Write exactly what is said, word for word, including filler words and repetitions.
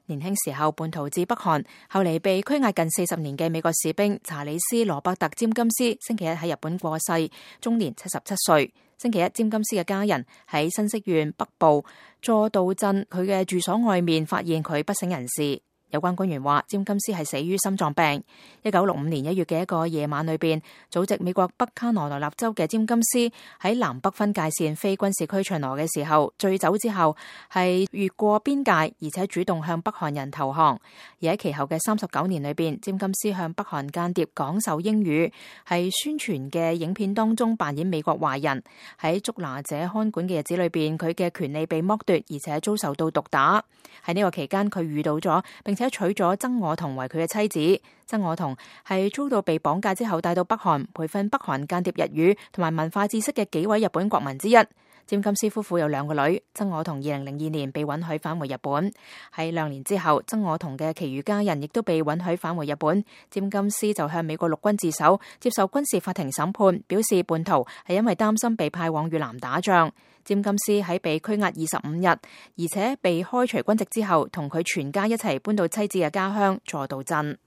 年輕時候叛逃至北韓，後嚟被拘押近四十年嘅美國士兵查理斯·羅伯特·詹金斯，星期一喺日本過世，終年七十七歲。星期一，詹金斯嘅家人喺新潟縣北部佐渡鎮佢嘅住所外面發現佢不省人事。有關官員話，詹金斯係死於心臟病。一九六五年一月嘅一個夜晚裏邊，祖籍美國北卡羅來納州嘅詹金斯喺南北分界線非軍事區巡邏嘅時候，醉酒之後係越過邊界，而且主動向北韓人投降。而喺其後嘅三十九年裏邊，詹金斯向北韓間諜講授英語，係宣傳嘅影片當中扮演美國壞人。喺捉拿者看管嘅日子裏邊，佢嘅權利被剝奪，而且遭受到毒打。喺呢個期間，佢遇到咗並且娶咗曾我彤為佢嘅妻子。曾我彤係遭到被綁架之後帶到北韓培訓北韓間諜日語同埋文化知識嘅幾位日本國民之一。詹金斯夫婦有兩個女，曾我彤二零零二年被允許返回日本。喺兩年之後，曾我彤嘅其餘家人亦都被允許返回日本。詹金斯就向美國陸軍自首，接受軍事法庭審判，表示叛逃係因為擔心被派往越南打仗。詹金斯喺被拘押二十五日，而且被開除軍籍之後，同佢全家一齊搬到妻子嘅家鄉佐渡鎮。